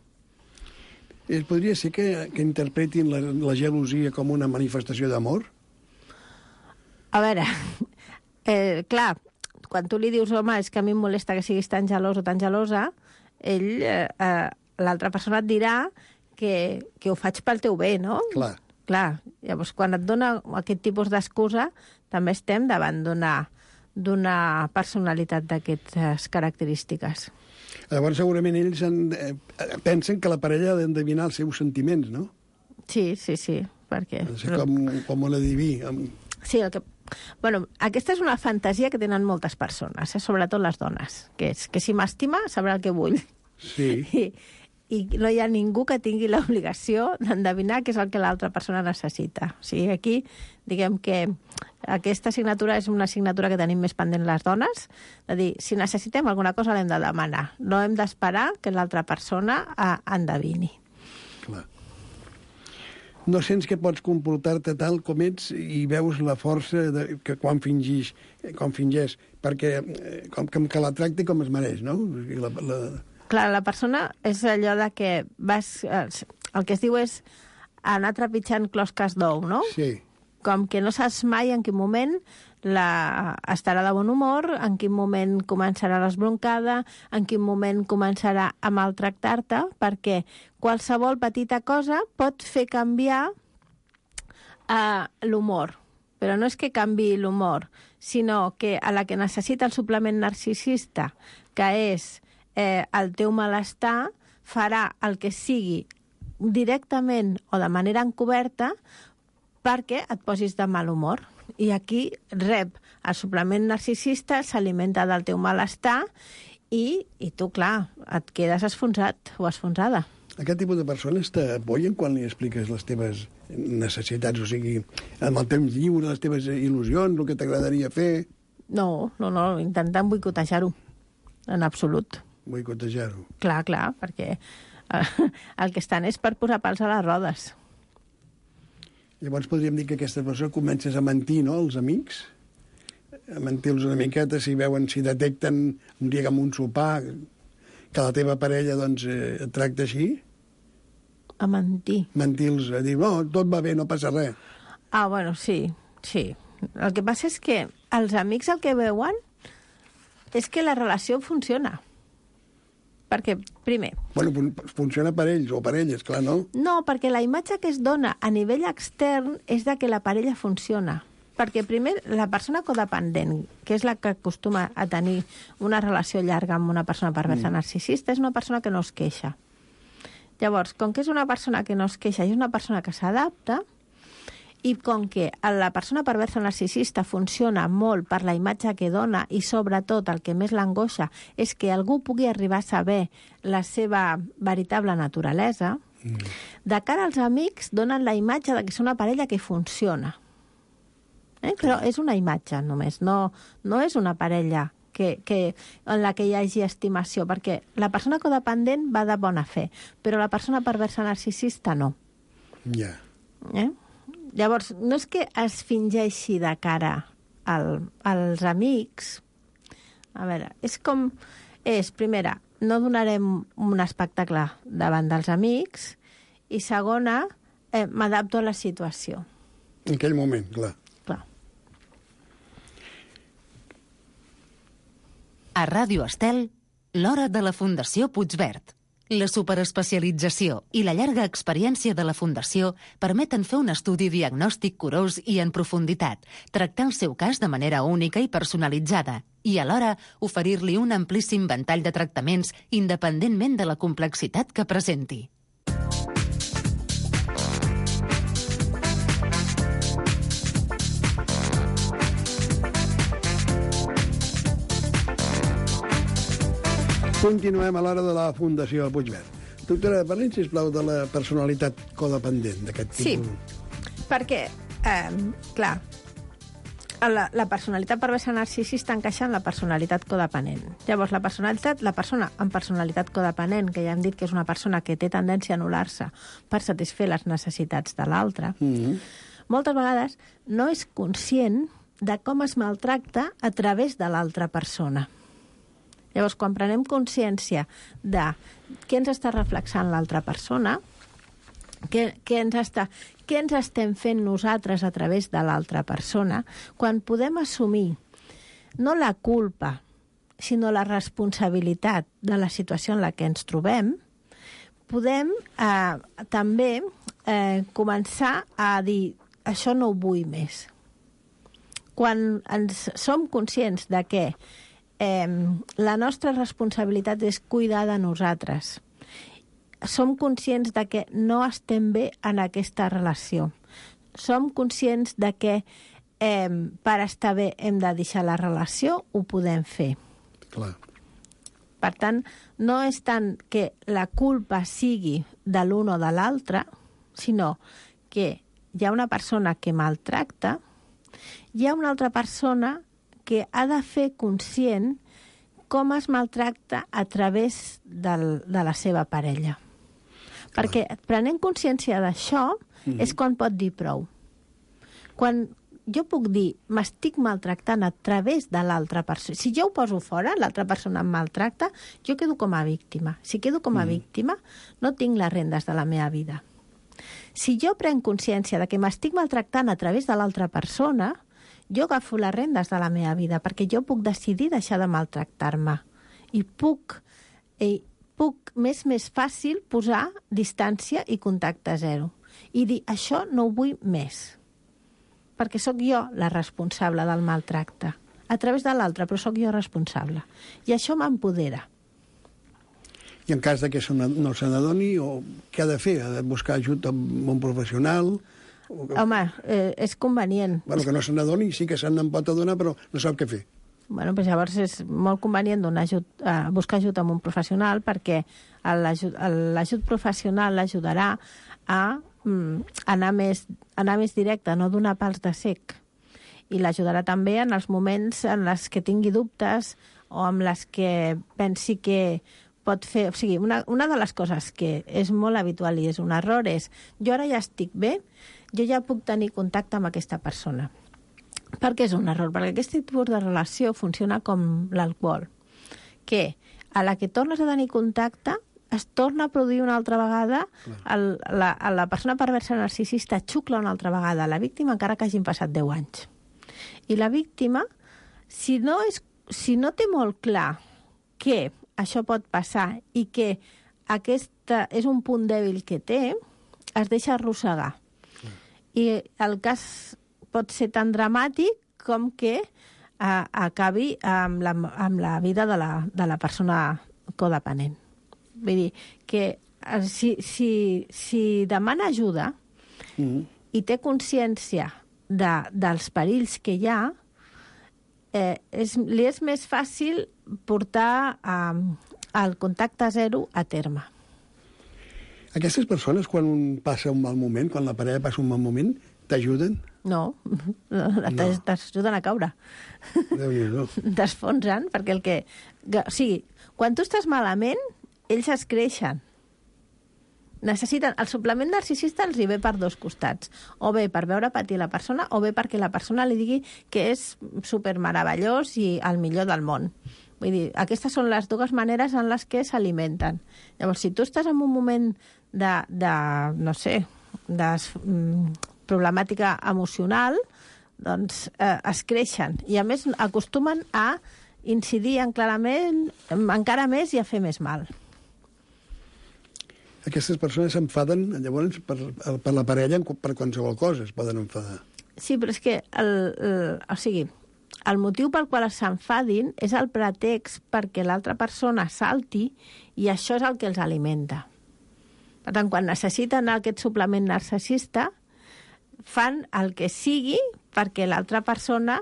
Podria ser que interpretin la gelosia com una manifestació d'amor? A veure, clar, quan tu li dius, home, és que a mi em molesta que siguis tan gelós o tan gelosa, l'altra persona et dirà que ho faig pel teu bé, no? Clar, llavors quan et dona aquest tipus d'excusa també estem davant d'una personalitat d'aquestes característiques. Llavors segurament ells pensen que la parella ha d'endevinar els seus sentiments, no? Sí, perquè... Com un adiví. Sí, bueno, aquesta és una fantasia que tenen moltes persones, sobretot les dones, que és que si m'estima sabrà el que vull. Sí. I no hi ha ningú que tingui l'obligació d'endevinar què és el que l'altra persona necessita. O sigui, aquí, diguem que aquesta assignatura és una assignatura que tenim més pendent les dones, de dir, si necessitem alguna cosa l'hem de demanar, no hem d'esperar que l'altra persona endevini. Clar. no sents que pots comportar-te tal com ets i veus la força que quan fingeix, perquè com que la tracti com es mereix, no? Clar, la persona és allò de que el que es diu és anar trepitjant closques d'ou, no? Sí. Com que no saps mai en quin moment estarà de bon humor, en quin moment començarà l'esbroncada, en quin moment començarà a maltractar-te, perquè qualsevol petita cosa pot fer canviar l'humor. Però no és que canvi l'humor, sinó que a la que necessita el suplement narcisista, que és el teu malestar, farà el que sigui directament o de manera encoberta perquè et posis de mal humor. I aquí rep el suplement narcisista, s'alimenta del teu malestar i tu, clar, et quedes esfonsat o esfonsada. Aquest tipus de persones t'apoyen quan li expliques les teves necessitats, o sigui, amb el temps lliure, les teves il·lusions, el que t'agradaria fer? No, intentant boicotejar-ho, en absolut. Boicotejar-ho. Clar, perquè el que estan és per posar pals a les rodes. Llavors podríem dir que aquesta persona comences a mentir, no?, als amics? A mentir-los una miqueta, si detecten un dia amb un sopar que la teva parella, doncs, et tracta així? A mentir? Mentir-los, a dir, no, tot va bé, no passa res. Bueno, sí. El que passa és que els amics el que veuen és que la relació funciona. Perquè, primer... Bueno, funciona per ells o per elles, clar, no? No, perquè la imatge que es dona a nivell extern és de que la parella funciona. Perquè, primer, la persona codependent, que és la que acostuma a tenir una relació llarga amb una persona perversa narcisista, és una persona que no es queixa. Llavors, com que és una persona que no es queixa i és una persona que s'adapta, i com que la persona perversa narcisista funciona molt per la imatge que dona i sobretot el que més l'angoixa és que algú pugui arribar a saber la seva veritable naturalesa, de cara als amics donen la imatge de que és una parella que funciona. Però és una imatge només, no és una parella en la que hi hagi estimació, perquè la persona codependent va de bona fe, però la persona perversa narcisista no. Ja. Llavors, no és que es fingeixi de cara als amics. A veure, primera, no donarem un espectacle davant dels amics, i segona, m'adapto a la situació. En aquell moment, clar. A Ràdio Estel, l'hora de la Fundació Puigverd. La superespecialització i la llarga experiència de la Fundació permeten fer un estudi diagnòstic curós i en profunditat, tractar el seu cas de manera única i personalitzada i, alhora, oferir-li un amplíssim ventall de tractaments independentment de la complexitat que presenti. Continuem a l'hora de la Fundació Puigverd. Doctora, parlem, sisplau, de la personalitat codependent d'aquest tipus. Sí, perquè, clar, la personalitat perversa narcisista encaixa en la personalitat codependent. Llavors, la persona amb personalitat codependent, que ja hem dit que és una persona que té tendència a anul·lar-se per satisfer les necessitats de l'altre, moltes vegades no és conscient de com es maltracta a través de l'altra persona. Llavors, quan prenem consciència de què ens està reflexant l'altra persona, què ens estem fent nosaltres a través de l'altra persona, quan podem assumir no la culpa, sinó la responsabilitat de la situació en la que ens trobem, podem també començar a dir això no ho vull més. Quan som conscients de que la nostra responsabilitat és cuidar de nosaltres. Som conscients de que no estem bé en aquesta relació. Som conscients de que per estar bé hem de deixar la relació, ho podem fer. Clar. Per tant, no és tant que la culpa sigui de l'un o de l'altre, sinó que hi ha una persona que maltracta, hi ha una altra persona que ha de fer conscient com es maltracta a través de la seva parella. Perquè prenent consciència d'això és quan pot dir prou. Quan jo puc dir, m'estic maltractant a través de l'altra persona. Si jo ho poso fora, l'altra persona em maltracta, jo quedo com a víctima. Si quedo com a víctima, no tinc les rendes de la meva vida. Si jo prenc consciència de que m'estic maltractant a través de l'altra persona, jo agafo les rendes de la meva vida, perquè jo puc decidir deixar de maltractar-me. I puc més fàcil posar distància i contacte zero. I dir, això no ho vull més. Perquè sóc jo la responsable del maltracte. A través de l'altre, però sóc jo responsable. I això m'empodera. I en cas que no se n'adoni, què ha de fer? Ha de buscar ajut amb un professional? Home, és convenient. Bueno, que no se n'adoni, sí que se n'en pot adonar, però no sap què fer. Bueno, doncs llavors és molt convenient buscar ajut amb un professional, perquè l'ajut professional l'ajudarà a anar més directe, no donar pals de cec. I l'ajudarà també en els moments en els que tingui dubtes o en les que pensi que pot fer... O sigui, una de les coses que és molt habitual i és un error és jo ara ja estic bé, jo ja puc tenir contacte amb aquesta persona. Per què és un error? Perquè aquest tipus de relació funciona com l'alcohol, que a la que tornes a tenir contacte es torna a produir una altra vegada, la persona perversa narcisista xucla una altra vegada a la víctima encara que hagin passat 10 anys. I la víctima, si no té molt clar que això pot passar i que aquest és un punt dèbil que té, es deixa arrossegar. I el cas pot ser tan dramàtic com que acabi amb la vida de la persona codependent. Vull dir que si demana ajuda i té consciència dels perills que hi ha, li és més fàcil portar el contacte zero a terme. Aquestes persones, quan passa un mal moment, quan la parella passa un mal moment, t'ajuden? No, t'ajuden a caure. Déu-n'hi-do. T'esfonsen, perquè o sigui, quan tu estàs malament, ells es creixen. Necessiten... El suplement narcisista els hi ve per dos costats. O bé per veure patir la persona, o bé perquè la persona li digui que és supermeravellós i el millor del món. Vull dir, aquestes són les dues maneres en les que s'alimenten. Llavors, si tu estàs en un moment no sé, de problemàtica emocional, doncs es creixen. I a més acostumen a incidir encara més i a fer més mal. Aquestes persones s'enfaden, llavors, per la parella per qualsevol cosa es poden enfadar. Sí, però és que el motiu pel qual s'enfadin és el pretext perquè l'altra persona salti i això és el que els alimenta. Per tant, quan necessiten aquest suplement narcisista, fan el que sigui perquè l'altra persona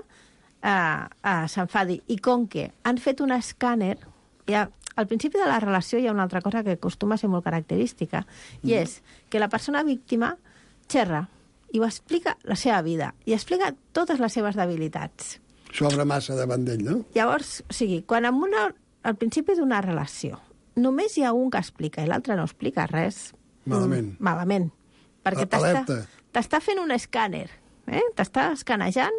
s'enfadi. I com que han fet un escàner, al principi de la relació hi ha una altra cosa que acostuma a ser molt característica, i és que la persona víctima xerra i ho explica la seva vida, i explica totes les seves debilitats. S'obre massa davant d'ell, no? Llavors, o sigui, quan al principi d'una relació només hi ha un que explica i l'altre no explica res... Malament. Perquè t'està fent un escàner, t'està escanejant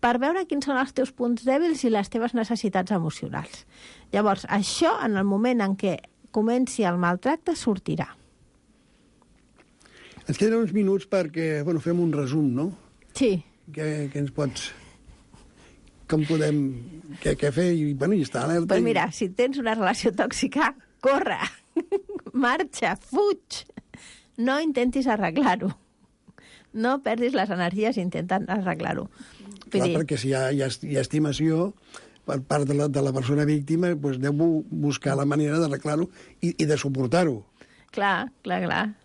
per veure quins són els teus punts dèbils i les teves necessitats emocionals. Llavors, això, en el moment en què comenci el maltracte, sortirà. Ens queden uns minuts perquè fem un resum, no? Sí. Què ens pots... Com podem... Què fer? I estar alerta. Doncs mira, si tens una relació tòxica, corre, marxa, fuig. No intentis arreglar-ho. No perdis les energies intentant arreglar-ho. Clar, perquè si hi ha estimació per part de la persona víctima, doncs deu buscar la manera d'arreglar-ho i de suportar-ho. Clar,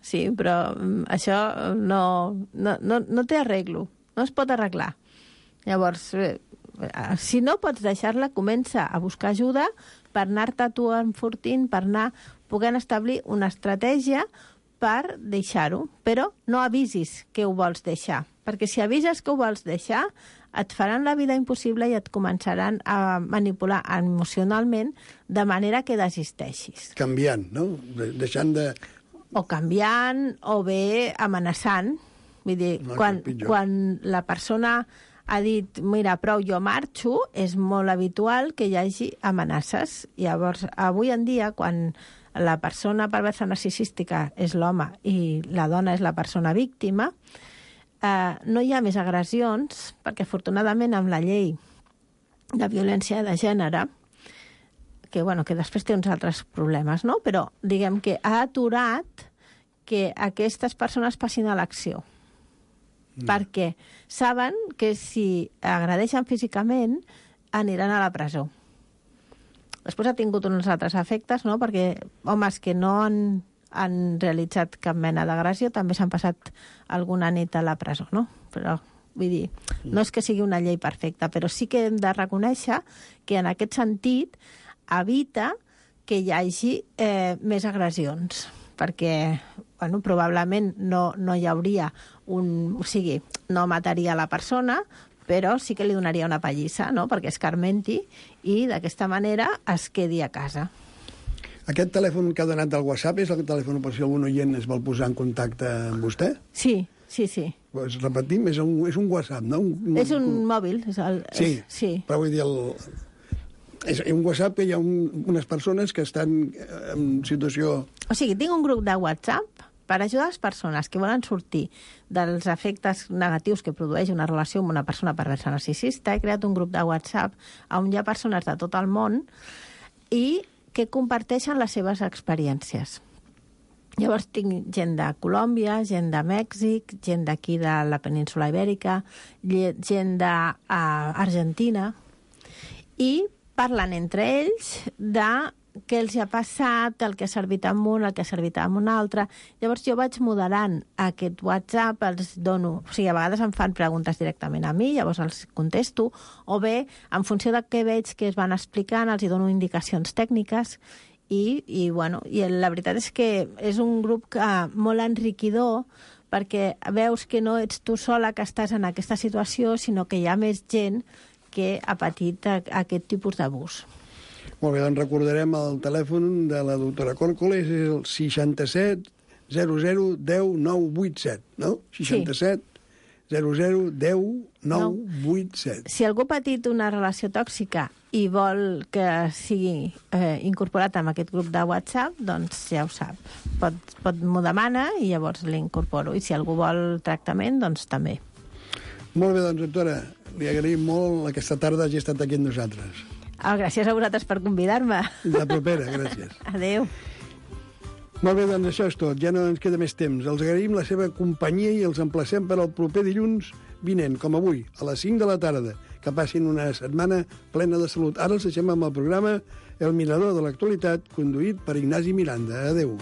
sí, però això no té arreglo, no es pot arreglar. Llavors, si no pots deixar-la, comença a buscar ajuda per anar-te tu enfortint, per anar podent establir una estratègia per deixar-ho, però no avisis que ho vols deixar, perquè si avises que ho vols deixar, et faran la vida impossible i et començaran a manipular emocionalment de manera que desisteixis. Canviant, no? Deixant de o canviant o bé amenaçant. Vull dir, quan la persona ha dit, mira, prou, jo marxo, és molt habitual que hi hagi amenaces. Llavors, avui en dia, quan la persona perversa narcisística és l'home i la dona és la persona víctima, no hi ha més agressions, perquè afortunadament amb la llei de violència de gènere, que després té uns altres problemes, no? Però diguem que ha aturat que aquestes persones passin a l'acció. Perquè saben que si agredeixen físicament aniran a la presó. Després ha tingut uns altres efectes, no? Perquè homes que no han realitzat cap mena d'agressió també s'han passat alguna nit a la presó, no? Però, vull dir, no és que sigui una llei perfecta, però sí que hem de reconèixer que en aquest sentit evita que hi hagi més agressions, perquè probablement no hi hauria o sigui, no mataria la persona, però sí que li donaria una pallissa, no?, perquè escarmenti i d'aquesta manera es quedi a casa. Aquest telèfon que ha donat del WhatsApp és el telèfon per si algun oient es vol posar en contacte amb vostè? Sí. Pues repetim, és un WhatsApp, no? És un mòbil. Sí, però vull dir, és un WhatsApp que hi ha unes persones que estan en situació... O sigui, tinc un grup de WhatsApp per ajudar les persones que volen sortir dels efectes negatius que produeix una relació amb una persona perversa narcisista. He creat un grup de WhatsApp on hi ha persones de tot el món i que comparteixen les seves experiències. Llavors tinc gent de Colòmbia, gent de Mèxic, gent d'aquí de la península Ibèrica, gent d'Argentina, i parlen entre ells de què els ha passat, el que ha servit amb un, el que ha servit amb un altre. Llavors jo vaig moderant aquest WhatsApp, els dono... O sigui, a vegades em fan preguntes directament a mi, llavors els contesto, o bé, en funció de què veig que es van explicant, els hi dono indicacions tècniques, i la veritat és que és un grup molt enriquidor, perquè veus que no ets tu sola que estàs en aquesta situació, sinó que hi ha més gent que ha patit aquest tipus d'abús. Molt bé, doncs recordarem el telèfon de la doctora Còrcoles, és el 67 00 10 987, no? 67 00 10 987. Si algú ha patit una relació tòxica i vol que sigui incorporat en aquest grup de WhatsApp, doncs ja ho sap. M'ho demana i llavors l'incorporo. I si algú vol tractament, doncs també. Molt bé, doncs, doctora, li agraïm molt aquesta tarda hagi estat aquí amb nosaltres. Gràcies a vosaltres per convidar-me. La propera, gràcies. Adéu. Molt bé, doncs això és tot. Ja no ens queda més temps. Els agraïm la seva companyia i els emplacem per al proper dilluns vinent, com avui, a les 5 de la tarda. Que passin una setmana plena de salut. Ara els deixem amb el programa El Mirador de l'Actualitat, conduït per Ignasi Miranda. Adéu.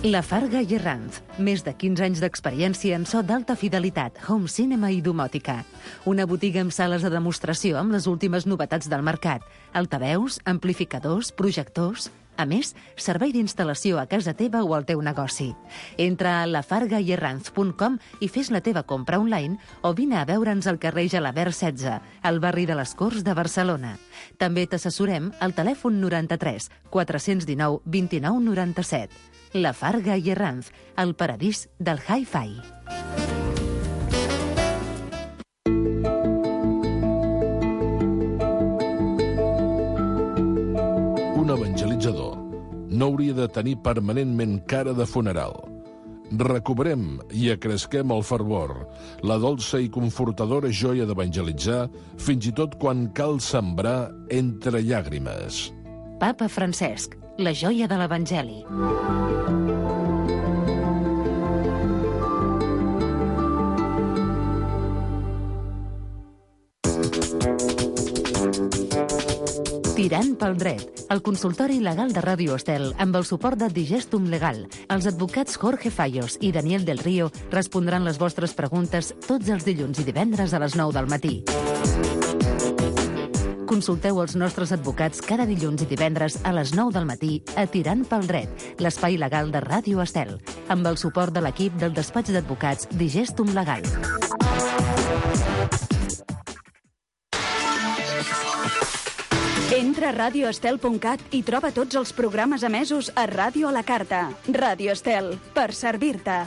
La Farga i Arranz. Més de 15 anys d'experiència en so d'alta fidelitat, home cinema i domòtica. Una botiga amb sales de demostració amb les últimes novetats del mercat. Altaveus, amplificadors, projectors... A més, servei d'instal·lació a casa teva o al teu negoci. Entra a lafargaierranz.com i fes la teva compra online o vine a veure'ns al carrer Gelabert 16, al barri de les Corts de Barcelona. També t'assessorem al telèfon 93 419 29 97. La Farga i Arranz, el paradís del hi-fi. Un evangelitzador no hauria de tenir permanentment cara de funeral. Recobrem i acresquem el fervor, la dolça i confortadora joia d'evangelitzar, fins i tot quan cal sembrar entre llàgrimes. Papa Francesc, la joia de l'Evangeli. Tirant pel dret, el consultori legal de Ràdio Estel amb el suport de Digestum Legal. Els advocats Jorge Fallos i Daniel del Río respondran les vostres preguntes tots els dilluns i divendres a les 9 del matí. Consulteu els nostres advocats cada dilluns i divendres a les 9 del matí a Tirant pel Dret, l'espai legal de Ràdio Estel, amb el suport de l'equip del despatx d'advocats Digestum Legal. Entra a radioestel.cat i troba tots els programes emesos a Ràdio a la Carta. Ràdio Estel, per servir-te.